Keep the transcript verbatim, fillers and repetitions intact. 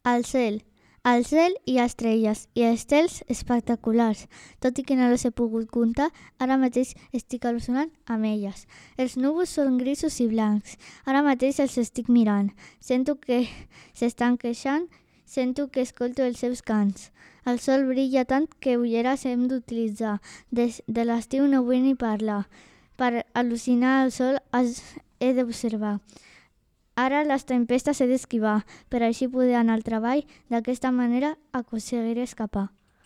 Al cel. Al cel hi ha estrelles i estels espectaculars. Tot i que no les he pogut comptar, ara mateix estic al·lucinant amb elles. Els núvols són grisos i blancs. Ara mateix els estic mirant. Sento que s'estan queixant, sento que escolto els seus cants. El sol brilla tant que ulleres hem d'utilitzar. Des de l'estiu no vull ni parlar. Per al·lucinar el sol he d'observar. Ara les tempestes he d'esquivar, per així poder anar al treball. D'aquesta manera aconseguiré escapar.